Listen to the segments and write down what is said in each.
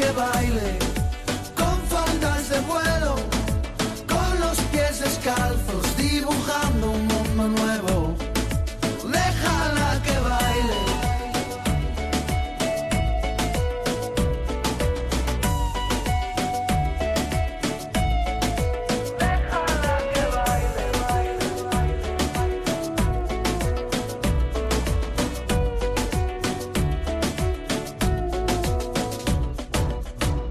que baile con faldas de vuelo, con los pies descalzos, dibujando un mundo nuevo. Déjala que baile.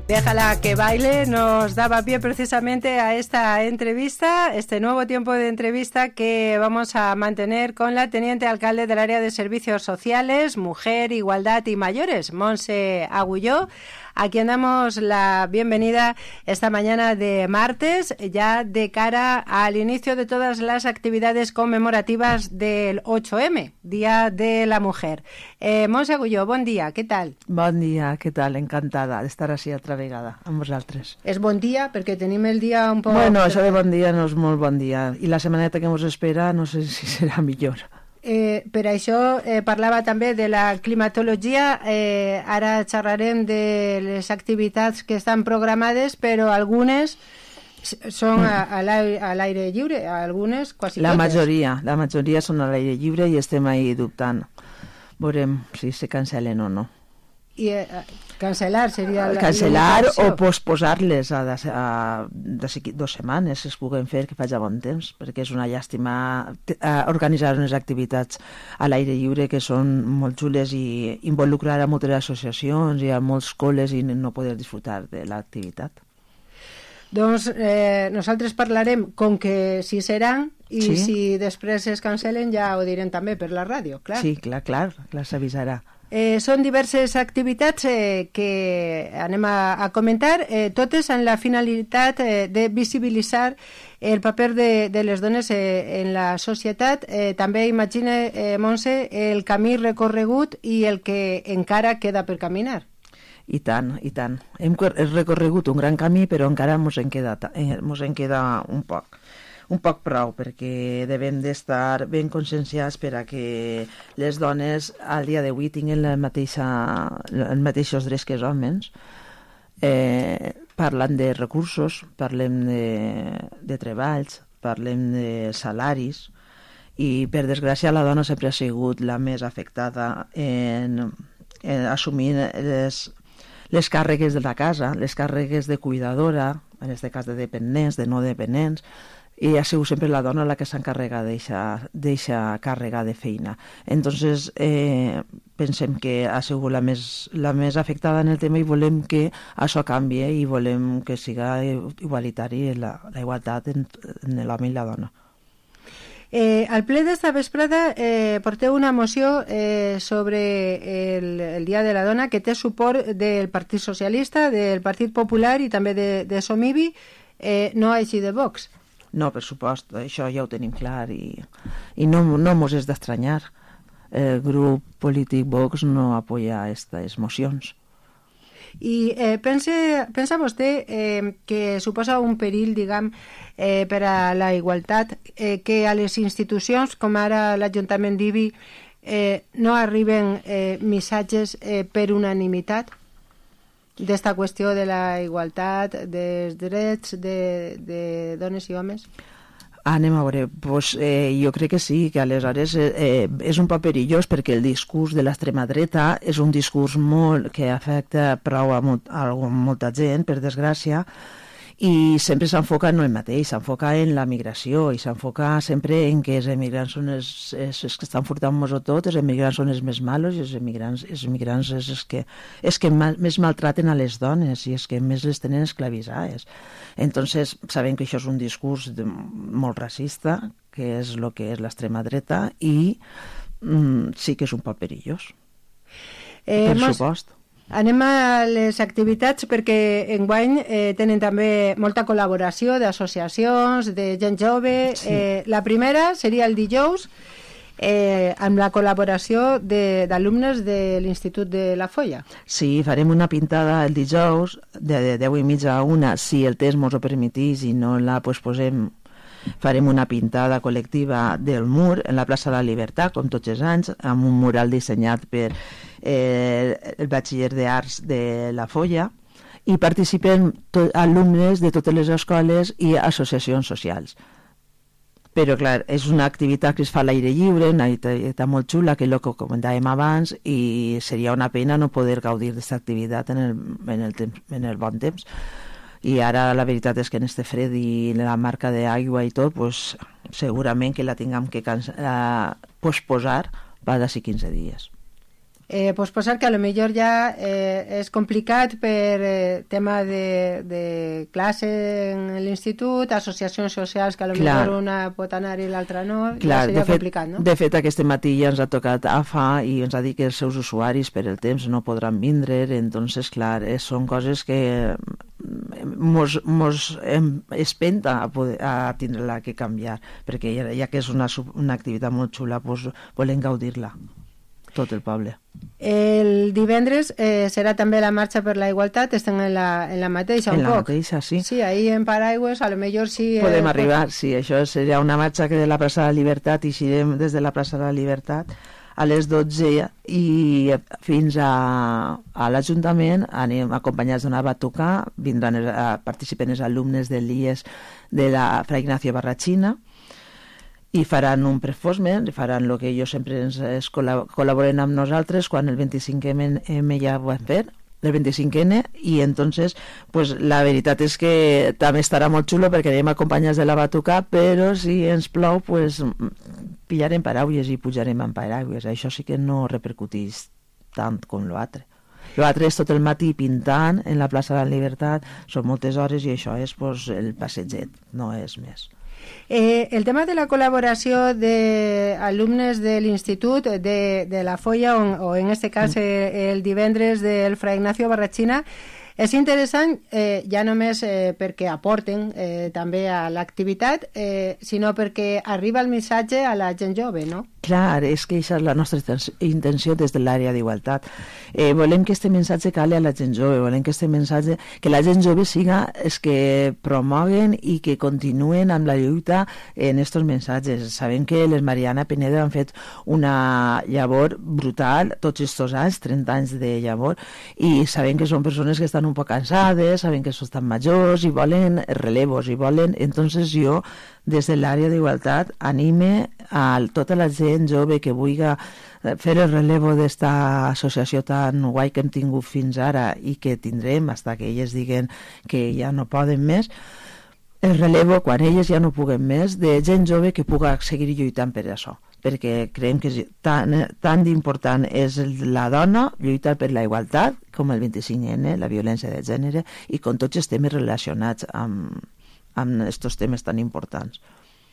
Déjala que baile nos daba pie precisamente a esta entrevista, este nuevo tiempo de entrevista que vamos a mantener con la teniente alcalde del área de servicios sociales, mujer, igualdad y mayores, Montse Agulló, a quien damos la bienvenida esta mañana de martes, ya de cara al inicio de todas las actividades conmemorativas del 8M, Día de la Mujer. Montse Agulló, bon dia, què tal? Bon dia, què tal? Encantada d'estar així altra vegada amb vosaltres. És bon dia perquè tenim el dia un poc... Bueno, això de bon dia no és molt bon dia i la setmaneta que ens espera no sé si serà millor. Per això parlava també de la climatologia, ara xerrarem de les activitats que estan programades, però algunes són a l'aire lliure, algunes quasi la totes. La majoria són a l'aire lliure i estem ahí dubtant. Veurem si se cancel·len o no. I cancel·lar seria... Cancel·lar o posposar-les a 2 setmanes, si es puguen fer, que faci bon temps, perquè és una llàstima organitzar unes activitats a l'aire lliure que són molt xules i involucrar a moltes associacions i a molts col·les i no poder disfrutar de l'activitat. Doncs nosaltres parlarem com que si seran i si després es cancel·len ja ho direm també per la ràdio, clar. Sí, clar, s'avisarà. Són diverses activitats que anem a comentar, totes amb la finalitat de visibilitzar el paper de les dones en la societat. També imagina, Montse, el camí recorregut i el que encara queda per caminar. I tant. Hem recorregut un gran camí, però encara mos en queda un poc prou, perquè devem d'estar ben conscienciats per a que les dones al dia d'avui tinguin els mateixos drets que els homes. Parlant de recursos, parlem de treballs, parlem de salaris, i per desgràcia la dona sempre ha sigut la més afectada en assumir les càrregues de la casa, les càrregues de cuidadora, en aquest cas de dependents, de no dependents, i ha sigut sempre la dona la que s'encarrega d'eixa càrrega de feina. Entonces, pensem que ha sigut la més afectada en el tema i volem que això canvie i volem que siga igualitari la igualtat en l'home i la dona. Al ple d'esta vesprada porteu una moció sobre el Dia de la Dona que té suport del Partit Socialista, del Partit Popular i també de Somivi, no així de Vox. No, per supost, això ja ho tenim clar i no mos és d'estranyar. El grup polític Vox no apoya aquestes mocions. I pensa vostè que suposa un perill, diguem, per a la igualtat, que a les institucions, com ara l'Ajuntament d'Ibi, no arriben missatges per unanimitat d'esta qüestió de la igualtat, dels drets de dones i homes? Anem a veure, jo crec que sí, que aleshores és un poc perillós perquè el discurs de l'extrema dreta és un discurs que afecta prou a molta gent, per desgràcia, i sempre s'enfoca en el mateix, s'enfoca en la migració i s'enfoca sempre en que els emigrants són els que estan furtant-nos tot, els emigrants són els més malos i els emigrants és els que més maltraten a les dones i els que més les tenen esclavitzades. Entonces, sabem que això és un discurs molt racista, que és el que és l'extrema dreta, i sí que és un poc perillós, per supost. Anem a les activitats perquè enguany tenen també molta col·laboració d'associacions, de gent jove. Sí. La primera seria el dijous, amb la col·laboració d'alumnes de l'Institut de la Folla. Sí, farem una pintada el dijous de 10:30 a 1, si el temps mos ho permetís i no la posposem. Farem una pintada col·lectiva del mur en la plaça de la Libertat, com tots els anys, amb un mural dissenyat per el batxiller d'Arts de la Folla, i participen alumnes de totes les escoles i associacions socials. Però, clar, és una activitat que es fa a l'aire lliure, una activitat molt xula, que és el que comentàvem abans, i seria una pena no poder gaudir d'aquesta activitat en el bon temps. I ara la veritat és que en este fred i la marca d'aigua i tot, pues, segurament que la tinguem que posposar per d'ací 15 dies. Posposar que a lo millor ja és complicat per tema de classe en l'institut, associacions socials que a lo millor una pot anar i l'altra no, ja seria complicat, no? De fet, aquest matí ja ens ha tocat AFA i ens ha dit que els seus usuaris per el temps no podran vindre, entonces, clar, són coses que mos espenta a tindre-la que canviar, perquè ja que és una activitat molt xula, pues, volem gaudir-la tot el poble. El divendres serà també la marxa per la igualtat, estem en la mateixa un poc. En la mateixa, sí. Sí, ahí en Paraigües, a lo millor sí... Podem arribar, sí, això seria una marxa que de la plaça de la Libertat, i eixirem des de la plaça de la Libertat a les 12 i fins a l'Ajuntament anem acompanyats d'una batuca, vindran participen els alumnes de l'IES de la Fra Ignacio Barrachina, i faran un prefosment, faran el que ells sempre ens col·laboren amb nosaltres quan el 25M ja ho vam fer, el 25N, i entonces pues, la veritat és que també estarà molt xulo perquè anem acompanyats de la batuca, però si ens plou pues, pillarem paraules i pujarem amb paraules, això sí que no repercuteix tant com l'altre. L'altre és tot el matí pintant en la plaça de la Libertat, són moltes hores i això és pues, el passeget, no és més. El tema de la col·laboració d'alumnes de l'institut, de la Folla, o en este cas el divendres del Fra Ignacio Barrachina, és interessant ja només perquè aporten també a l'activitat, sinó perquè arriba el missatge a la gent jove, no? Clar, és que aquesta és la nostra intenció des de l'àrea d'igualtat. Volem que aquest missatge cali a la gent jove, volem que aquest missatge, que la gent jove siga els que promoguen i que continuen amb la lluita en aquests missatges. Sabem que les Mariana Pineda han fet una llavor brutal tots aquests anys, 30 anys de llavor, i sabem que són persones que estan un poc cansades, saben que són tan majors i volen relevos, i volen... Entonces jo, des de l'àrea d'igualtat, anime a tota la gent jove que vulgui fer el relevo d'esta associació tan guai que hem tingut fins ara i que tindrem fins que elles diguen que ja no poden més, el relevo, quan elles ja no puguen més, de gent jove que puga seguir lluitant per això, perquè creiem que tan important és la dona lluitar per la igualtat com el 25N, la violència de gènere, i com tots els temes relacionats amb aquests temes tan importants.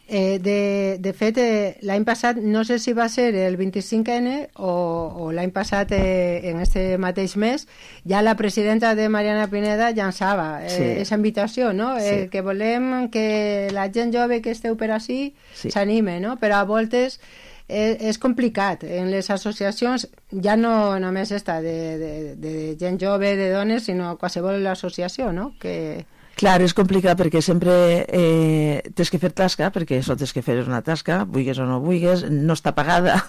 De fet, l'any passat, no sé si va ser el 25N o l'any passat en este mateix mes, ja la presidenta de Mariana Pineda llançava aquesta invitació, no? Sí. Que volem que la gent jove que esteu per ací s'anime, no? Però a voltes és complicat. En les associacions, ja no només esta de gent jove, de dones, sinó qualsevol associació, no? Que... Clar, és complicat perquè sempre tens que fer tasca, perquè això tens que fer una tasca, vulguis o no vulguis, no està pagada.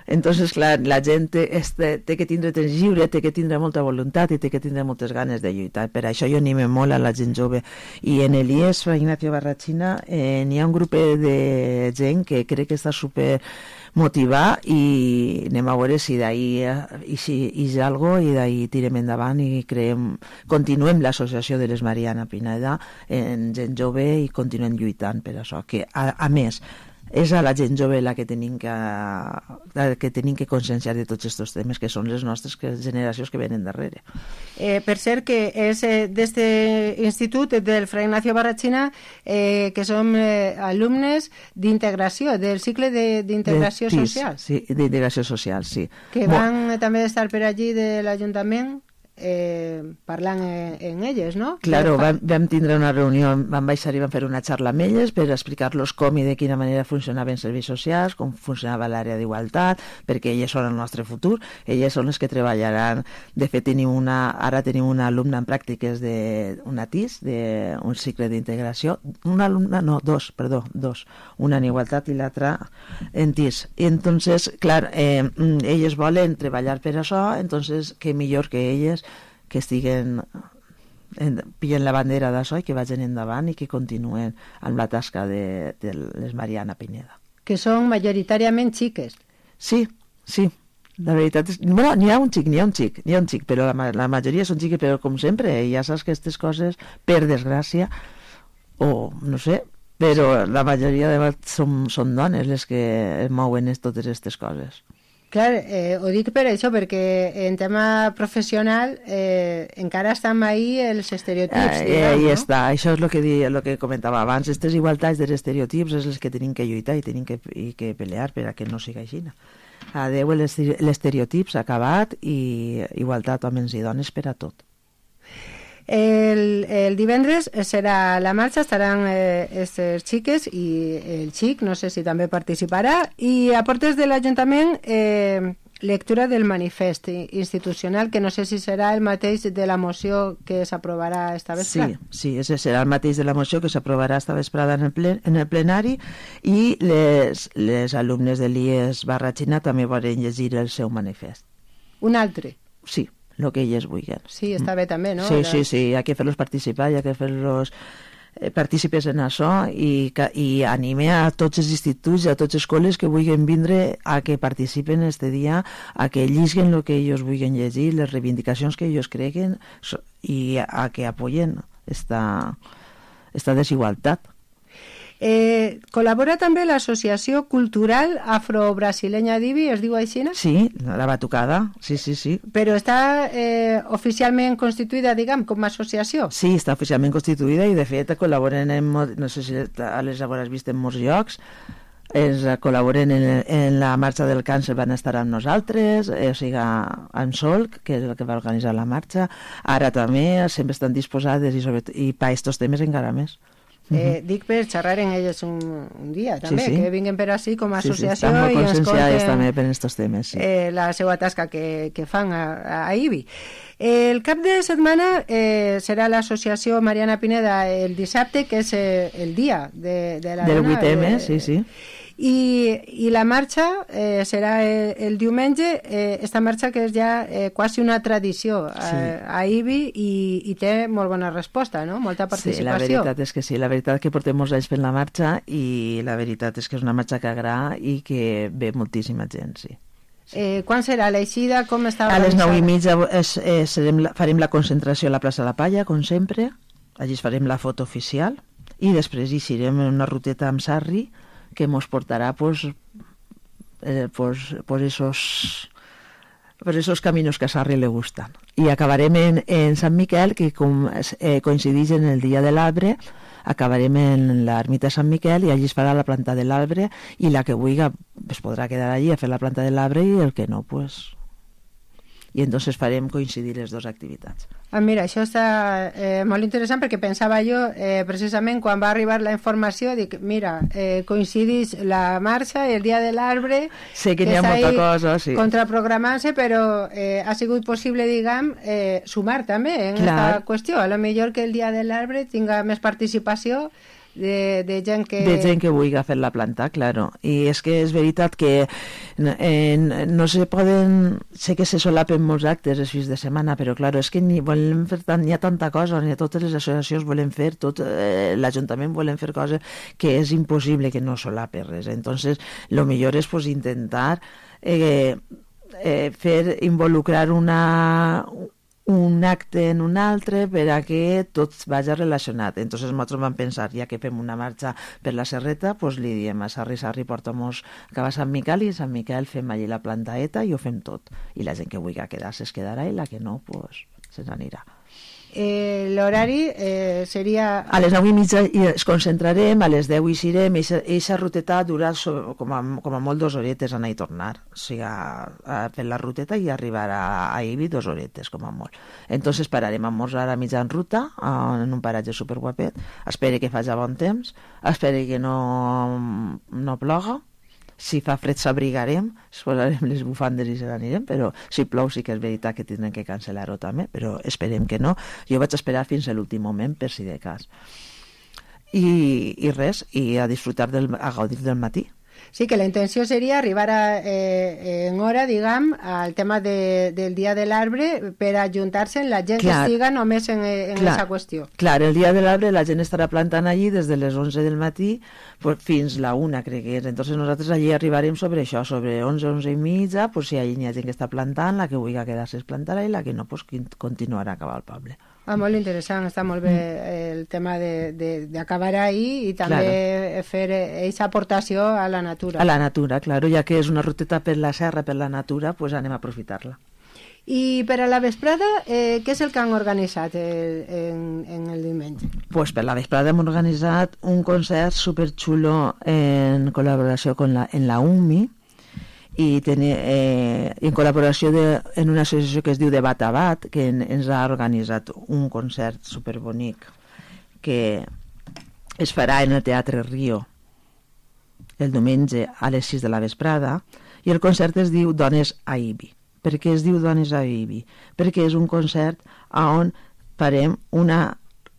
Entonces, clar, la gent té que tindre temps lliure, té que tindre molta voluntat i té que tindre moltes ganes de lluitar. Per això jo anime molt a la gent jove. I en l'IES Fra Ignacio Barrachina n'hi ha un grup de gent que crec que està super motivar i anem a veure si d'ahí hi ha alguna cosa i d'ahí tirem endavant i continuem l'associació de les Mariana Pineda en gent jove i continuem lluitant per això, que a més és a la gent jove la que tenim que conscienciar de tots aquests temes, que són les nostres generacions que venen darrere. Per cert, que és d'este institut del Fra Ignacio Barrachina, que som alumnes d'integració, del cicle d'integració social. Sí, d'integració social, sí. Que van també estar per allí de l'Ajuntament parlant en elles, no? Claro, vam tindre una reunió, vam baixar i vam fer una xarra amb elles per explicar-los com i de quina manera funcionaven els serveis socials, com funcionava l'àrea d'igualtat, perquè elles són el nostre futur, elles són les que treballaran. De fet, ara tenim una alumna en pràctiques d'una TIS, d'un cicle d'integració, una alumna, no, dos, una en igualtat i l'altra en TIS. I entonces, clar, elles volen treballar per això, entonces, què millor que elles que estiguen pillen la bandera d'això i que vagin endavant i que continuen amb la tasca de les Mariana Pineda. Que són majoritàriament xiques. Sí, la veritat és... Bueno, n'hi ha un xic, però la majoria són xiques, però com sempre, ja saps que aquestes coses, per desgràcia, o no sé, però la majoria de vegades són dones les que mouen totes aquestes coses. Clar, ho dic per això, perquè en tema professional encara estan ahí els estereotips, no? Està. Això és el que comentava abans. Aquestes igualtats dels estereotips és les que tenim que lluitar i tenim que pelear per a que no sigui així. Adeu l'estereotips acabat i igualtat homes i dones per a tot. El divendres serà la marxa, estaran aquestes xiques i el xic, no sé si també participarà, i a portes de l'Ajuntament lectura del manifest institucional, que no sé si serà el mateix de la moció que s'aprovarà esta vesprada. Sí, ese serà el mateix de la moció que s'aprovarà esta vesprada en el plenari, i les alumnes de l'IES / també volen llegir el seu manifest. Un altre? Sí, el que elles vulguin. Sí, està bé també, no? Sí, hi ha que fer-los participar, hi ha que fer-los partícipes en això i anime a tots els instituts i a totes les escoles que vulguin vindre a que participen este dia, a que llisguen el que ells vulguin llegir, les reivindicacions que ells creguen i a que apoyen esta desigualtat. Col·labora també l'Associació Cultural Afro-Brasilenya d'Ibi, es diu així? Sí, la Batucada, sí. Però està oficialment constituïda, diguem, com a associació? Sí, està oficialment constituïda i de fet col·laboren no sé si les hauràs vist en molts llocs, col·laboren en la marxa del càncer, van estar amb nosaltres, o sigui, en Solc, que és el que va organitzar la marxa, ara també sempre estan disposades i per aquests temes encara més. Dic per xerrar en elles un dia també, sí. Que vinguin per així com a associació i ens conten també per aquests temes, la seva tasca que fan a IBI. El cap de setmana serà l'associació Mariana Pineda el dissabte, que és el dia de la del dona, 8M, sí. I la marxa serà el diumenge, esta marxa que és ja quasi una tradició a IBI i té molt bona resposta, no? Molta participació. Sí, la veritat és que sí, la veritat que portem molts anys fent la marxa i la veritat és que és una marxa que agrada i que ve moltíssima gent, sí. Quan serà l'eixida? Com està organitzada? A les 9:30 farem la concentració a la plaça La Palla, com sempre, allí farem la foto oficial i després hi serem en una ruteta amb Sarri que mos portarà pues esos caminos que a Sarri le gustan. I acabarem en Sant Miquel, que com coincideix en el dia de l'arbre, acabarem en l'ermita de Sant Miquel i allí es farà la planta de l'arbre i la que vulgui es podrà quedar allí a fer la planta de l'arbre i el que no, pues... I entonces farem coincidir les dues activitats. Mira, això està molt interessant perquè pensava jo, precisament quan va arribar la informació, dic, mira, coincidís la marxa i el dia de l'arbre, sé que n'hi ha molta cosa, sí. Contraprogramant-se, però ha sigut possible, diguem, sumar també en aquesta qüestió. A lo millor que el dia de l'arbre tinga més participació de gent que... De gent que vulgui fer la planta, claro. I és que és veritat que no se poden... Sé que se solapen molts actes els fins de setmana, però claro, és que n'hi ha tanta cosa, ni totes les associacions volen fer, tot l'Ajuntament volen fer coses que és impossible que no solape res. Entonces, lo millor és pues, intentar involucrar un acte en un altre per a que tot vagi relacionat. Entonces nosaltres vam pensar, ja que fem una marxa per la Serreta, pues li diem a Sarri, porta'mos cap a Sant Miquel i a Sant Miquel fem allí la plantaeta i ho fem tot. I la gent que vulgui quedar-se es quedarà i la que no, pues se n'anirà. L'horari seria... A les 9:30 es concentrarem, a les 10 hi serem, i aquesta ruteta durà com a molt 2 horetes anar i tornar, o sigui, a fer la ruteta i arribar a Ibi 2 horetes com a molt. Entonces pararem a esmorzar a mitjan ruta en un paratge superguapet, espere que faci bon temps, espere que no ploga. Si fa fred s'abrigarem, es posarem les bufandes i se n'anirem, però si plou sí que és veritat que tindrem que cancel·lar-ho també, però esperem que no. Jo vaig esperar fins a l'últim moment per si de cas. I res, i a disfrutar, a gaudir del matí. Sí, que la intenció seria arribar en hora, diguem, al tema del Dia de l'Arbre per ajuntar-se la gent que estiga només en aquesta qüestió. Clar, el Dia de l'Arbre la gent estarà plantant allí des de les 11 del matí pues, fins la 1, crec que és. Entonces nosaltres allí arribarem sobre això, sobre 11, 11 i mitja, pues, si allí hi ha gent que està plantant, la que vulgui quedar-se es plantarà i la que no, pues, continuarà a acabar al poble. Molt interessant, està molt bé el tema d'acabar ahí i també fer aquesta aportació a la natura. A la natura, claro, ja que és una ruteta per la serra, per la natura, pues anem a aprofitar-la. I per a la vesprada, què és el que han organitzat en el diumenge? Pues per la vesprada hem organitzat un concert superxulo en col·laboració en la UMI, i en col·laboració en una associació que es diu Debat a Bat, que ens ha organitzat un concert superbonic que es farà en el Teatre Rio el diumenge a les 6 de la vesprada, i el concert es diu Dones a Ibi. Per què es diu Dones a Ibi? Perquè és un concert on farem una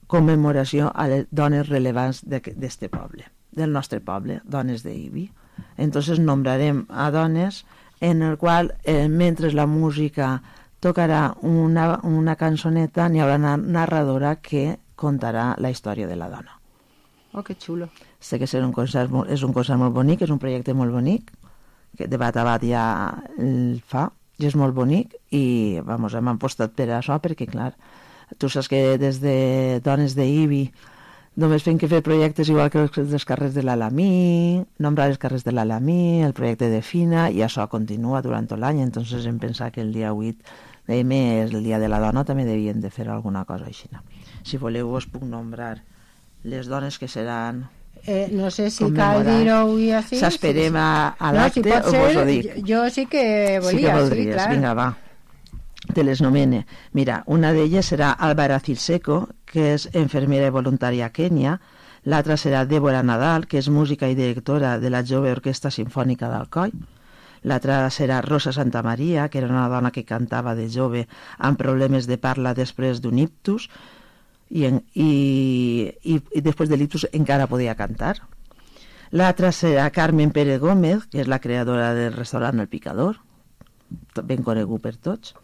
commemoració a les dones rellevants d'este poble, del nostre poble, dones d'Ibi. Entonces nombrarem a dones en el qual mentre la música tocarà una cançoneta, n'hi haurà una narradora que contarà la història de la dona. Oh, que xulo. Sé que és un concert molt bonic, és un projecte molt bonic, que Debat a Bat ja el fa, i és molt bonic, i vamos, hem apostat per això, perquè clar, tu saps que des de Dones d'Ibi només fem que fer projectes igual que els carrers de l'Alamí, nombrar els carrers de l'Alamí, el projecte de Fina, i això continua durant tot l'any. Entonces hem pensat que el dia 8 de mes, el dia de la dona, també devien de fer alguna cosa així. Si voleu us puc nombrar les dones que seran... no sé si cal dir-ho avui així. S'esperem a l'acte o vos ho dic? Jo sí que volia, sí que voldries, clar. Vinga, va. Te les nomene. Mira, una d'elles serà Álvara Cilseco, que és infermera i voluntària a Kènia. L'altra serà Débora Nadal, que és música i directora de la Jove Orquestra Simfònica d'Alcoi. L'altra serà Rosa Santamaria, que era una dona que cantava de jove amb problemes de parla després d'un ictus, i després de l'ictus encara podia cantar. L'altra serà Carmen Pérez Gómez, que és la creadora del restaurant El Picador, ben conegut per tots.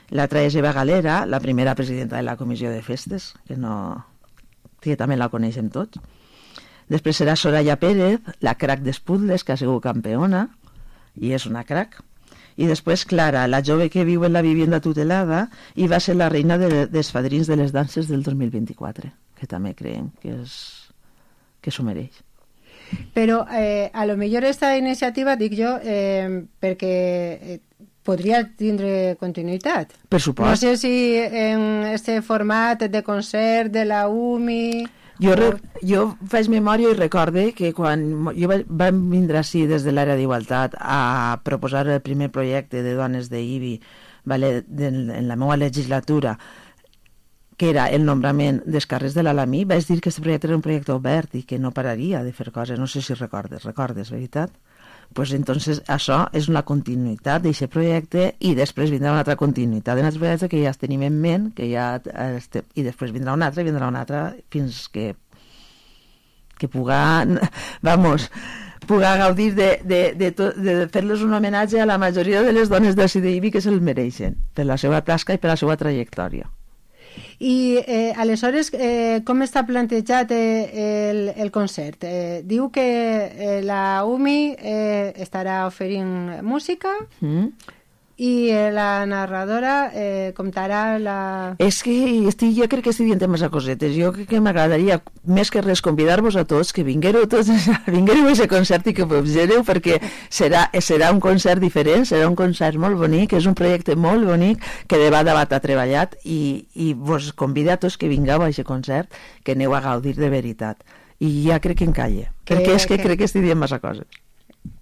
L'altra és Eva Galera, la primera presidenta de la Comissió de Festes, que també la coneixem tots. Després serà Soraya Pérez, la crac d'Esputles, que ha sigut campeona, i és una crac. I després Clara, la jove que viu en la vivienda tutelada i va ser la reina dels fadrins de les danses del 2024, que també creiem que s'ho mereix. Però a lo millor esta iniciativa, dic jo, perquè podria tindre continuïtat. Per supost. No sé si en este format de concert de la UMI... Jo faig memòria i recorde que quan vam vindre així des de l'àrea d'Igualtat a proposar el primer projecte de dones d'Ibi, en la meva legislatura, que era el nombrament dels carrers de l'Alamí, vaig dir que aquest projecte era un projecte obert i que no pararia de fer coses. No sé si recordes, veritat? Pues entonces això és una continuïtat d'aquest projecte i després vindrà una altra continuïtat d'un altre projecte que ja tenim en ment, i després vindrà un altre fins que puga gaudir de fer-los un homenatge a la majoria de les dones del CDIB que se'l mereixen per la seva tasca i per la seva trajectòria. I aleshores com està plantejat el concert? Diu que la UMI estarà oferint música i la narradora comptarà la... És que jo crec que estic dient massa cosetes. Jo crec que m'agradaria més que res convidar-vos a tots que vinguereu a aquest concert i que observeu, perquè serà un concert diferent, serà un concert molt bonic, és un projecte molt bonic que Debat a Bat ha treballat i vos convido a tots que vingueu a aquest concert, que aneu a gaudir de veritat. I ja crec que encalle, perquè és que crec que estic dient massa coses.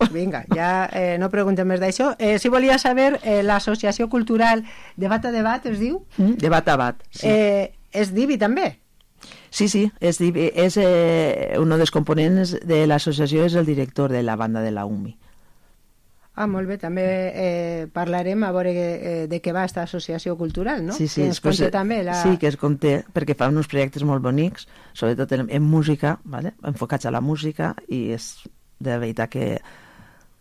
Vinga, ja no preguntem més d'això. Si volia saber, l'associació cultural Debat a Debat es diu? Debat a Bat, sí. És d'Ibi també? Sí, és d'Ibi. Un dels components de l'associació és el director de la banda de la UMI. Molt bé, també parlarem a veure de què va aquesta associació cultural, no? Sí, que ens conté també sí, que es conté, perquè fa uns projectes molt bonics, sobretot en música, ¿vale? Enfocats a la música, i de veritat que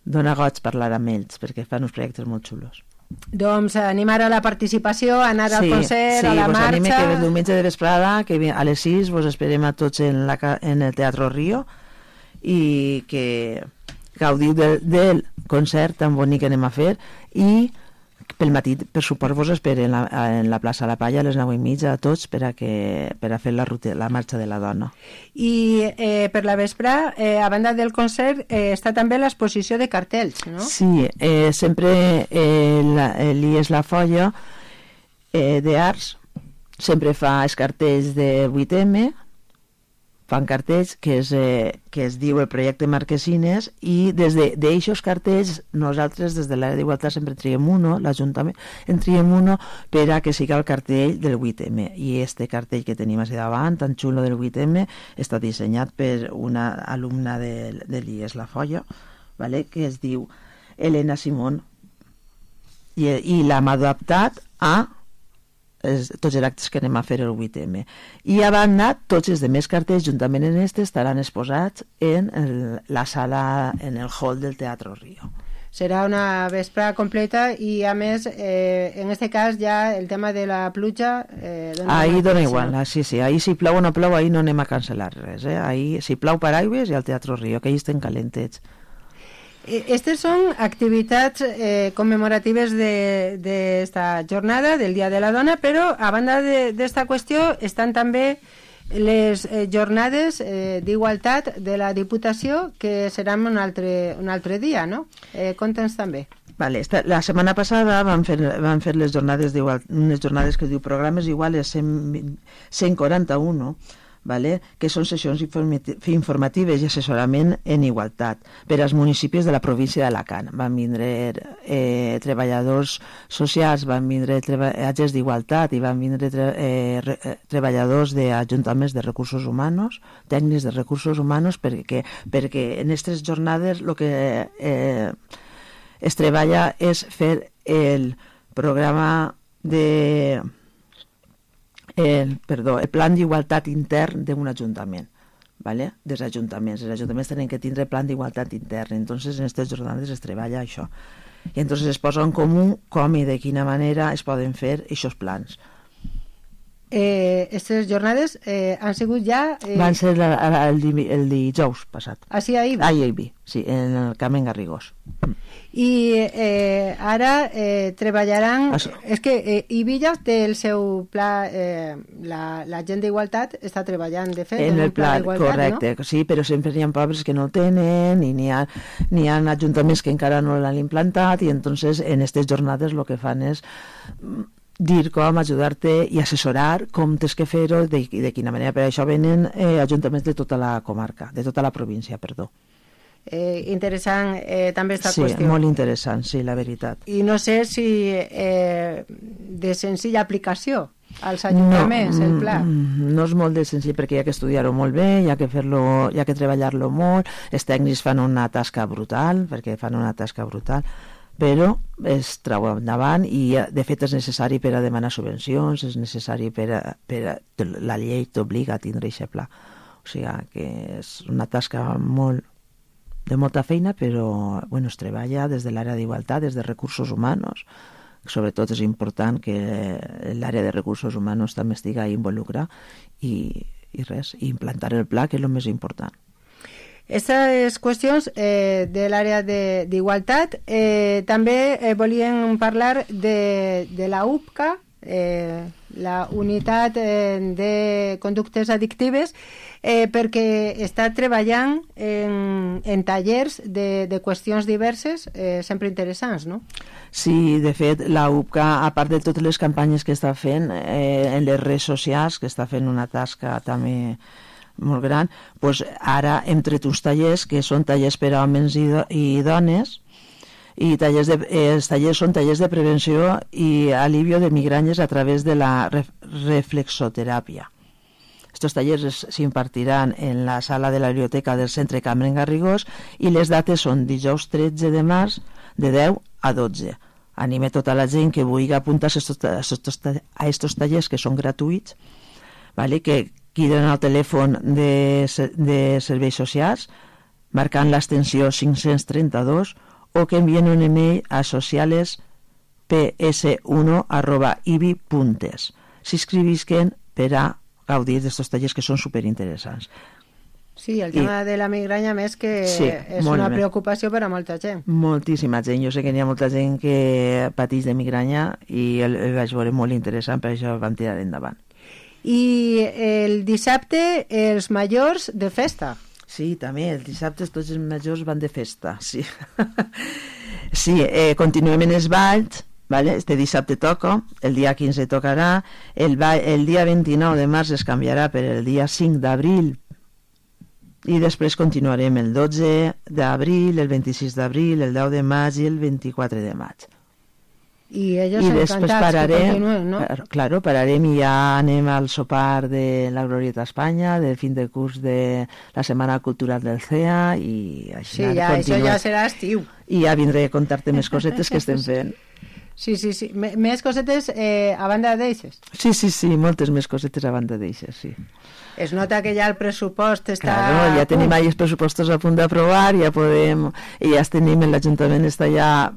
dona goig parlar amb ells, perquè fan uns projectes molt xulos. Doncs animar a la participació, anar al concert, a la marxa... Sí, que el diumenge de vesprada, que a les 6 vos esperem a tots en el Teatro Río i que gaudiu del concert tan bonic que anem a fer i pel matí, per suport, vos esperen en la plaça La Palla a les 9:30 a tots per a fer la marxa de la dona. I per la vespre, a banda del concert, està també l'exposició de cartells, no? Sí, sempre l'IES La Folla d'Arts sempre fa els cartells de 8M, fan cartells que es diu el projecte Marquesines, i des d'aixòs cartells nosaltres des de l'àrea d'Igualtat sempre triem uno, l'Ajuntament en triem uno per a que siga el cartell del 8M, i este cartell que tenim així davant, tan xulo del 8M, està dissenyat per una alumna de l'IES La Folla, vale? Que es diu Elena Simón, i l'hem adaptat a tots els actes que anem a fer el 8M. I a banda, tots els demés cartells, juntament en este, estaran exposats en la sala, en el hall del Teatro Río. Serà una vespre completa i, a més, en este cas ja el tema de la pluja... Ahí dona igual, sí, ahí si plou o no plou, ahí no anem a cancel·lar res. Ahí, si plou paraigües, i al Teatro Río, que ahí estem calentets. Estas son activitats conmemoratives d'esta jornada, del Dia de la Dona, però a banda d'esta qüestió estan també les jornades d'igualtat de la Diputació, que seran un altre dia, no? Conta'ns també. Vale, la setmana passada van fer les jornades d'igualtat, unes jornades que diu programes iguales 141, vale? Que són sessions informatives i assessorament en igualtat per als municipis de la província d'Alacant. Van vindre treballadors socials, van vindre agents d'igualtat i van vindre treballadors d'ajuntaments de recursos humans, tècnics de recursos humans, perquè en aquestes jornades el que es treballa és fer el programa el plan d'igualtat intern d'un ajuntament, ¿vale? Dels ajuntaments. Els ajuntaments tenen que tindre plan d'igualtat intern, entonces en aquestes jornades es treballa això. I entonces es posa en comú com i de quina manera es poden fer aquests plans. Aquestes jornades han sigut ja... Van ser el dijous passat. Ah, sí, ahir? Ahir, sí, en el Carmen Garrigós. I ara treballaran... És que Ivilla té el seu pla... La gent d'igualtat està treballant, de fet, en el pla d'igualtat, correcte, no? Sí, però sempre hi ha pobles que no el tenen i n'hi ha ajuntaments que encara no l'han implantat, i entonces en aquestes jornades el que fan és dir com, ajudar-te i assessorar com tens que fer-ho i de quina manera. Per això venen ajuntaments de tota la comarca, de tota la província, perdó. Interessant també aquesta qüestió. Sí, molt interessant, sí, la veritat. I no sé si de senzilla aplicació als ajuntaments, el pla. No és molt de senzill, perquè hi ha que estudiar-ho molt bé, hi ha que fer-lo, hi ha que treballar-lo molt, els tècnics fan una tasca brutal, però es trau endavant i de fet és necessari per a demanar subvencions, és necessari per a la llei t'obliga a tindre aquest pla. O sigui que és una tasca de molta feina, però bueno, es treballa des de l'àrea d'igualtat, des de recursos humans. Sobretot és important que l'àrea de recursos humans també estigui involucrada i implantar el pla, que és el més important. Aquestes qüestions de l'àrea d'igualtat també volíem parlar de la UPCA, la unitat de conductes addictives, perquè està treballant en tallers de qüestions diverses, sempre interessants, no? Sí, de fet, la UPCA, a part de totes les campanyes que està fent en les redes socials, que està fent una tasca també molt gran, doncs ara hem tret uns tallers que són tallers per a homes i dones, i els tallers són tallers de prevenció i alivio de migranyes a través de la reflexoteràpia. Estos tallers s'impartiran en la sala de la biblioteca del Centre Carmen Garrigós i les dates són dijous 13 de març de 10 a 12. Anime tota la gent que vulgui apuntar-se a estos tallers, que són gratuïts, vale? Que criden al telèfon de serveis socials marcant l'extensió 532, o que envien un email a socialesps1@ibi.es. S'inscrivisquen per a gaudir d'aquests tallers que són superinteressants. Sí, el tema de la migranya, més que Sí, és molt una bé. preocupació per a molta gent. Moltíssima gent. Jo sé que n'hi ha molta gent que pateix de migranya i el vaig veure molt interessant, per això vam tirar endavant. I el dissabte els majors de festa. Sí, també, els dissabtes tots els majors van de festa, sí. Sí, continuem en els balls, vale? Este dissabte toca, el dia 15 tocarà, el dia 29 de març es canviarà per el dia 5 d'abril, i després continuarem el 12 d'abril, el 26 d'abril, el 10 de maig i el 24 de maig. I ells I després encantats que continuen, no? Claro, pararem i ja anem al sopar de la Glorieta Espanya, del fin de curs de la Setmana Cultural del CEA, i així Sí, ja, això ja serà estiu. I ja vindré a contar-te més cosetes que estem fent. Sí. Més cosetes a banda d'eixes. Sí, moltes més cosetes a banda d'eixes, sí. Es nota que ja el pressupost està... Claro, ja tenim ahí els pressupostos a punt d'aprovar, ja podem... I ja tenim, l'Ajuntament està ja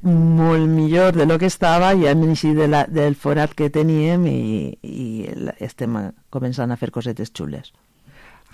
molt millor de lo que estava, ja hem eixit del forat que teníem i estem començant a fer cosetes xules.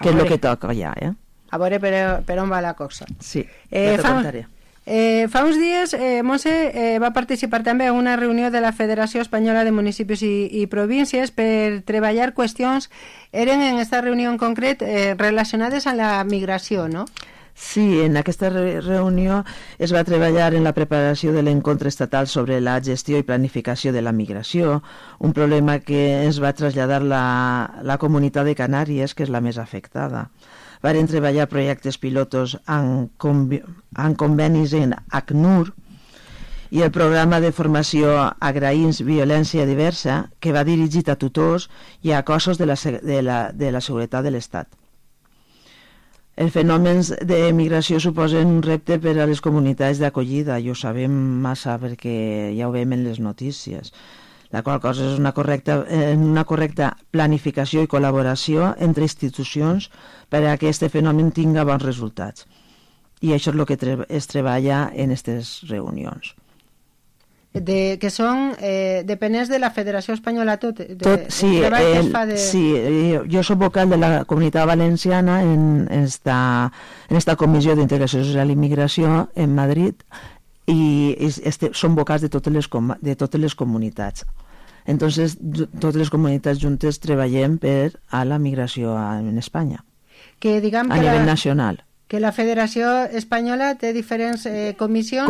Que és el que toca ja, A veure per on va la cosa. Sí, ja t'ho contaré. Fa uns dies, Montse va participar també en una reunió de la Federació Espanyola de Municipis i Províncies per treballar qüestions, eren en aquesta reunió en concret relacionades amb la migració, no? Sí, en aquesta reunió es va treballar en la preparació de l'encontre estatal sobre la gestió i planificació de la migració, un problema que es va traslladar la comunitat de Canàries, que és la més afectada. Varen treballar projectes pilotos en convenis en ACNUR i el programa de formació Agraïns Violència Diversa, que va dirigit a tutors i a cossos de la seguretat de l'Estat. Els fenòmens de migració suposen un repte per a les comunitats d'acollida, i ho sabem massa perquè ja ho veiem en les notícies. La qual cosa és una correcta planificació i col·laboració entre institucions per a que aquest fenomen tingui bons resultats. I això és el que es treballa en aquestes reunions. Que són dependents de la Federació Espanyola Sí, jo soc vocal de la Comunitat Valenciana en esta Comissió d'Integració Social i Migració en Madrid, i són vocals de totes les comunitats. Entonces, totes les comunitats juntes treballem per a la migració en Espanya, a nivell nacional. Que la Federació Espanyola té diferents comissions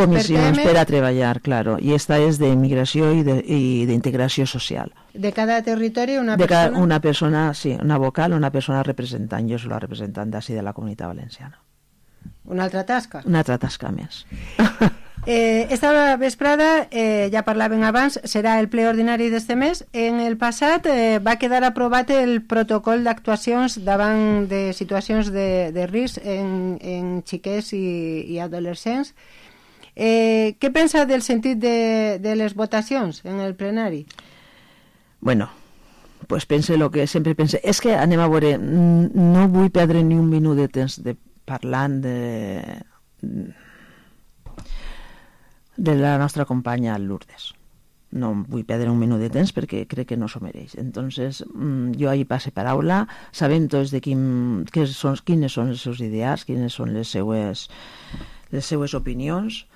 per a treballar, claro, i esta és d'immigració i d'integració social. De cada territori una persona? Una persona, sí, una vocal, una persona representant. Jo soc la representant d'ací de la Comunitat Valenciana. Una altra tasca? Una altra tasca més. Esta vesprada, ja parlàvem abans, serà el ple ordinari d'este mes. En el passat va quedar aprovat el protocol d'actuacions davant de situacions de risc en xiquets i adolescents. Què pensa del sentit de les votacions en el plenari? Bueno, pues pense el que sempre pense. És que anem a veure, no vull perdre ni un minut de temps parlant de la nostra companya Lourdes. No vull perdre un minut de temps perquè crec que no s'ho mereix. Entonces, jo ahir passe paraula, sabem tots de quines són els seus ideals, quines són les seues opinions,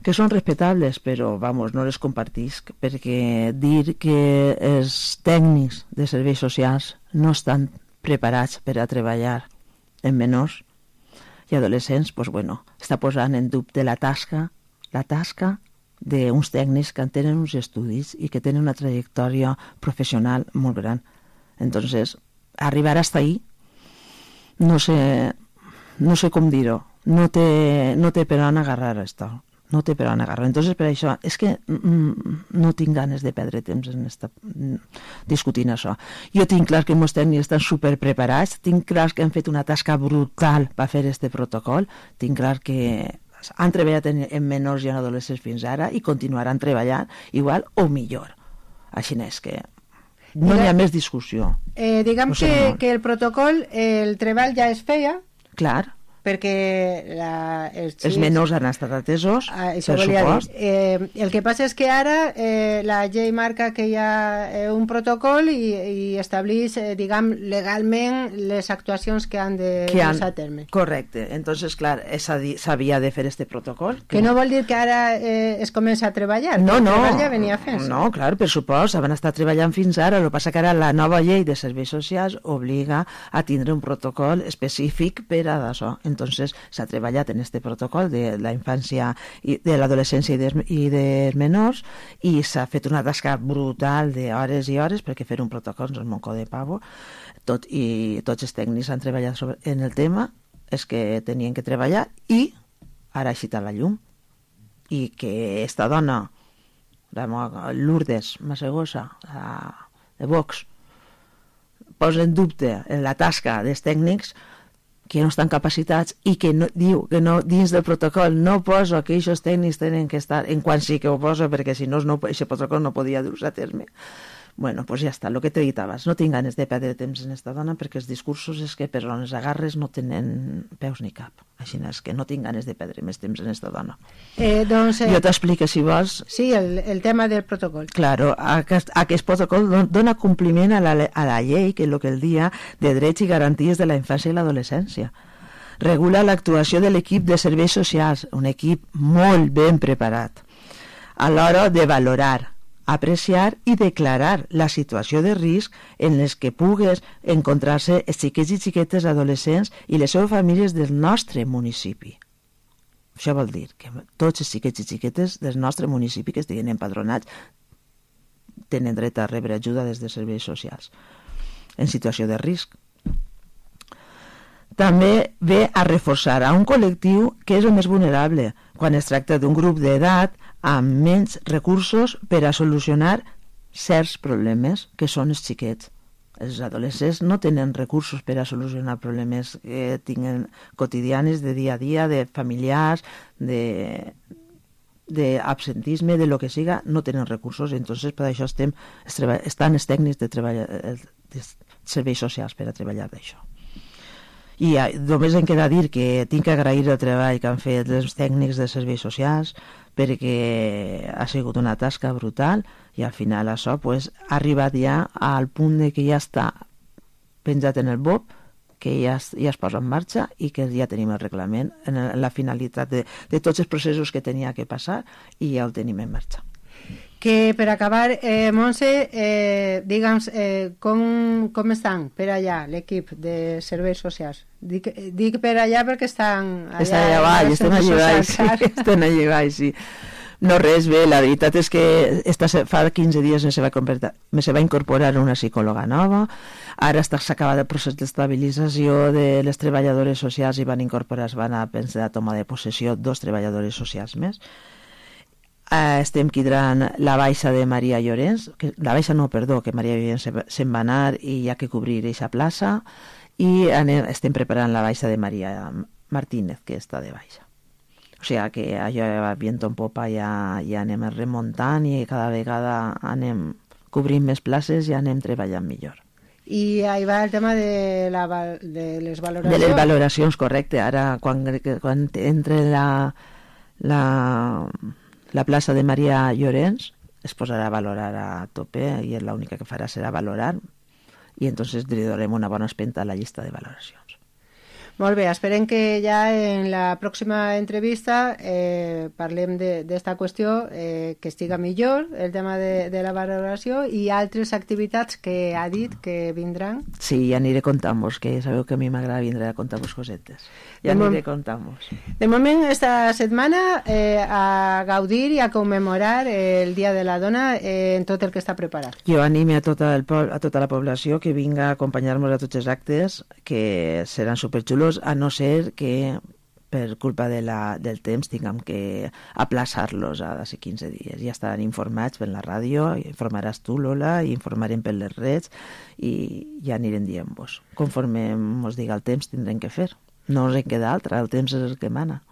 que són respectables, però, no les compartisc, perquè dir que els tècnics de serveis socials no estan preparats per a treballar en menors i adolescents, està posant en dubte la tasca d'uns tècnics que tenen uns estudis i que tenen una trajectòria professional molt gran. Entonces, arribar hasta ahí, no sé com dir-ho, no té per on agarrar esto. No té per on agarrar. Entonces, per això, és que no tinc ganes de perdre temps discutint això. Jo tinc clar que els tècnics estan superpreparats, tinc clar que han fet una tasca brutal per fer aquest protocol, tinc clar que han treballat en menors i en adolescents fins ara i continuaran treballant igual o millor. Així és que no hi ha més discussió. Diguem que el protocol, el treball ja es feia. Clar, perquè els menors han estat atesos, per supost. El que passa és que ara la llei marca que hi ha un protocol i estableix, diguem, legalment les actuacions que han de dur a terme. Correcte. Entonces, clar, s'havia de fer este protocol. Que no vol dir que ara es comença a treballar. No. Ja venia fent. No, clar, per supost, van estar treballant fins ara. El que passa que ara la nova llei de serveis socials obliga a tindre un protocol específic per a això. Entonces s'ha treballat en este protocol de la infància i de l'adolescència i dels menors i s'ha fet una tasca brutal d'hores i hores perquè fer un protocol no és moco de pavo. I tots els tècnics han treballat en el tema, és que tenien que treballar i ara ha xitat la llum. I que esta dona, Lourdes Massegosa, de Vox, posa en dubte en la tasca dels tècnics que no estan capacitats i que diu que no, dins del protocol no posa que aquests tècnics tenen que estar, en quan sí que ho posa, perquè si no, aquest protocol no podia dur-se a terme. Bueno, pues ja està, el que te dit abans, no tinc ganes de perdre temps en esta dona perquè els discursos és que per on els agarres no tenen peus ni cap. Així és que no tinc ganes de perdre més temps en esta dona. Jo t'explico, si vols. Sí, el tema del protocol. Claro, aquest protocol dona compliment a la llei, que és el que el dia de drets i garanties de la infància i l'adolescència. Regula l'actuació de l'equip de serveis socials, un equip molt ben preparat, a l'hora de valorar, apreciar i declarar la situació de risc en les que pugues encontrar-se els xiquets i xiquetes adolescents i les seves famílies del nostre municipi. Això vol dir que tots els xiquets i xiquetes del nostre municipi que estiguin empadronats tenen dret a rebre ajuda des de serveis socials en situació de risc. També ve a reforçar a un col·lectiu que és el més vulnerable quan es tracta d'un grup d'edat amb menys recursos per a solucionar certs problemes, que són els xiquets. Els adolescents no tenen recursos per a solucionar problemes que tinguen quotidianes de dia a dia, de familiars, d'absentisme, de lo que siga, no tenen recursos. Entonces, per això estan els tècnics de serveis socials per a treballar d'això. I només em queda dir que tinc que agrair el treball que han fet els tècnics de serveis socials perquè ha sigut una tasca brutal i al final això ha arribat ja al punt de que ja està penjat en el BOP, que ja es posa en marxa i que ja tenim el reglament en la finalitat de tots els processos que tenia que passar i ja el tenim en marxa. Que per acabar, Montse, digue'ns com estan per allà l'equip de serveis socials? Dic per allà perquè estan allà. Estan allà baix, estan allà baix, sí. No res, bé, la veritat és que fa 15 dies me se va incorporar una psicòloga nova, ara s'acaba el procés d'estabilització de les treballadores socials i van a prendre la toma de possessió 2 treballadores socials més. Estem quidrant la baixa de Maria Llorens, que Maria Llorens se'n va anar i hi ha que cobrir aquesta plaça, i estem preparant la baixa de Maria Martínez, que està de baixa. O sigui que allò va viento en popa, ja anem remuntant i cada vegada anem cobrint més places i anem treballant millor. I ahí va el tema de les valoracions. De les valoracions, correcte. Ara, quan entre la plaça de Maria Llorens es posarà a valorar a tope i l'única que farà serà valorar i entonces li donarem una bona espenta a la llista de valoracions. Molt bé, esperem que ja en la pròxima entrevista parlem d'esta qüestió, que estiga millor el tema de la valoració i altres activitats que ha dit que vindran. Sí, ja aniré contant-vos, que sabeu que a mi m'agrada vindre a contar-vos cosetes. Ja aniré contant-vos. De moment, esta setmana a gaudir i a commemorar el Dia de la Dona en tot el que està preparat. Jo anime a tota la població que vinga a acompanyar-nos a tots els actes, que seran superxulos, a no ser que per culpa del temps tinguem que aplaçar-los a d'ací 15 dies. Ja estaran informats per la ràdio, informaràs tu, Lola, i informarem per les redes i ja anirem dient-vos. Conforme ens diga el temps tindrem que fer. No ens en queda altra, el temps és el que mana.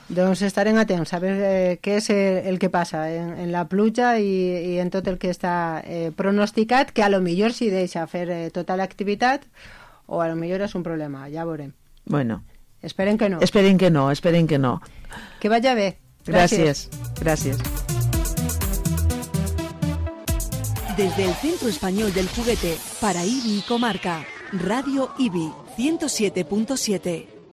Doncs estarem atents a veure què és el que passa en la pluja i en tot el que està pronosticat, que a lo millor s'hi deixa fer tota l'activitat o a lo millor és un problema, ja veurem. Bueno, Esperen que no. Esperen que no, esperen que no. Que vaya bé. Gràcies. Gràcies. Desde el Centro Español del Juguete para IBI y Comarca, Radio IBI 107.7.